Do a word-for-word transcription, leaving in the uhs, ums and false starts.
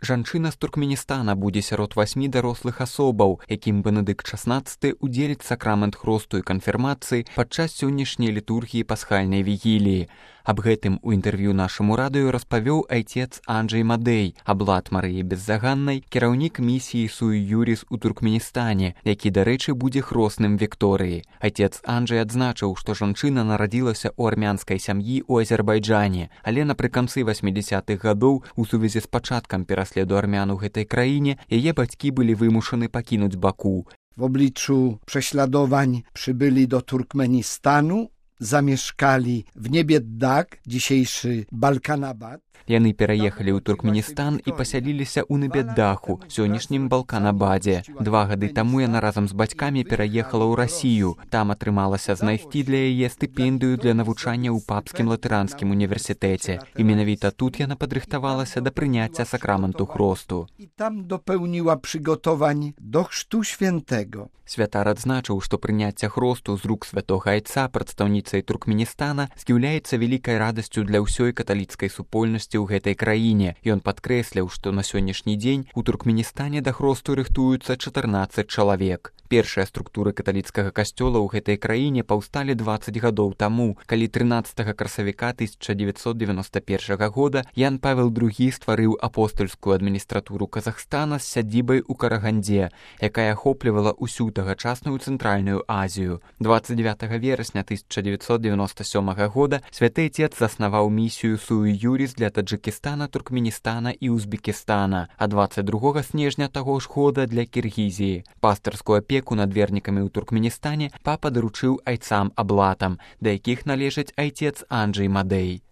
Жанчына з Туркменістана будзе сярод васьмі дарослых асобаў, якім Бенедыкт шаснаццаты удзеліць сакрамент хросту і канфірмацыі падчас сённяшняй літургіі пасхальнай вігіліі. Аб гэтым у інтэрв'ю нашаму радыё распавёў айцец Анджэй Мадэй, аблат Марыі Беззаганнай, кіраўнік місіі Суй Юрис у Туркменістане, які, дарэчы, будзе хросным Вікторыі. Айцец Анджэй адзначыў, што жанчына нарадзілася ў армянскай сям'і ў Азербайджане, але напрыканцы васьмідзясятых гадоў у сувязі з пачаткам пераследу армян у гэтай краіне яе бацькі былі вымушаны пакінуць Баку. W obliczu prześladowań przybyli do Turkmenistanu, zamieszkali w Nebieddak, dzisiejszy Balkanabad. Яны пераехалі ў Туркменістан і пасяліліся ў Небеддаху, сённяшнім Балканабадзе. Два гады таму яна разам з бацькамі пераехала ў Расію. Там атрымалася знайсці для яе стыпендыю для навучання ў папскім латыранскім універсітэце. І менавіта тут яна падрыхтавалася да прыняцця сакраменту хросту. I tam dopełniła przygotowań do chrztu świętego. Святар адзначыў, што прыняцце хросту з рук святога айца прадстаўніцай Туркменістана з'яўляецца вялікай радасцю для ўсёй каталіцкай супольнасці ў гэтай краіне. Ён падкрэсліў, што на сённяшні дзень у Туркменістане да хросту рыхтуюцца чатырнаццаць чалавек. Першыя структуры каталіцкага касцёла ў гэтай краіне паўсталі дваццаць гадоў таму, калі трынаццатага красавіка тысяча дзевяцьсот девяносто першага года Ян Павел другі стварыў апостольскую адміністратуру Казахстана з сядзібай у Карагандзе, якая ахоплівала ўсю тагачасную цэнтральную Азію. дваццаць дзевятага верасня тысяча дзевяцьсот девяносто сёмага года святы айцец заснаваў місію Суй Юрис для Таджикістана, Туркменістана і Узбекістана, а дваццаць другога снежня таго ж года для Кіргізіі. Пастырскую апеку над вернікамі ў Туркменістане папа даручыў айцам-аблатам, да якіх належаць айцец Анджэй Мадэй.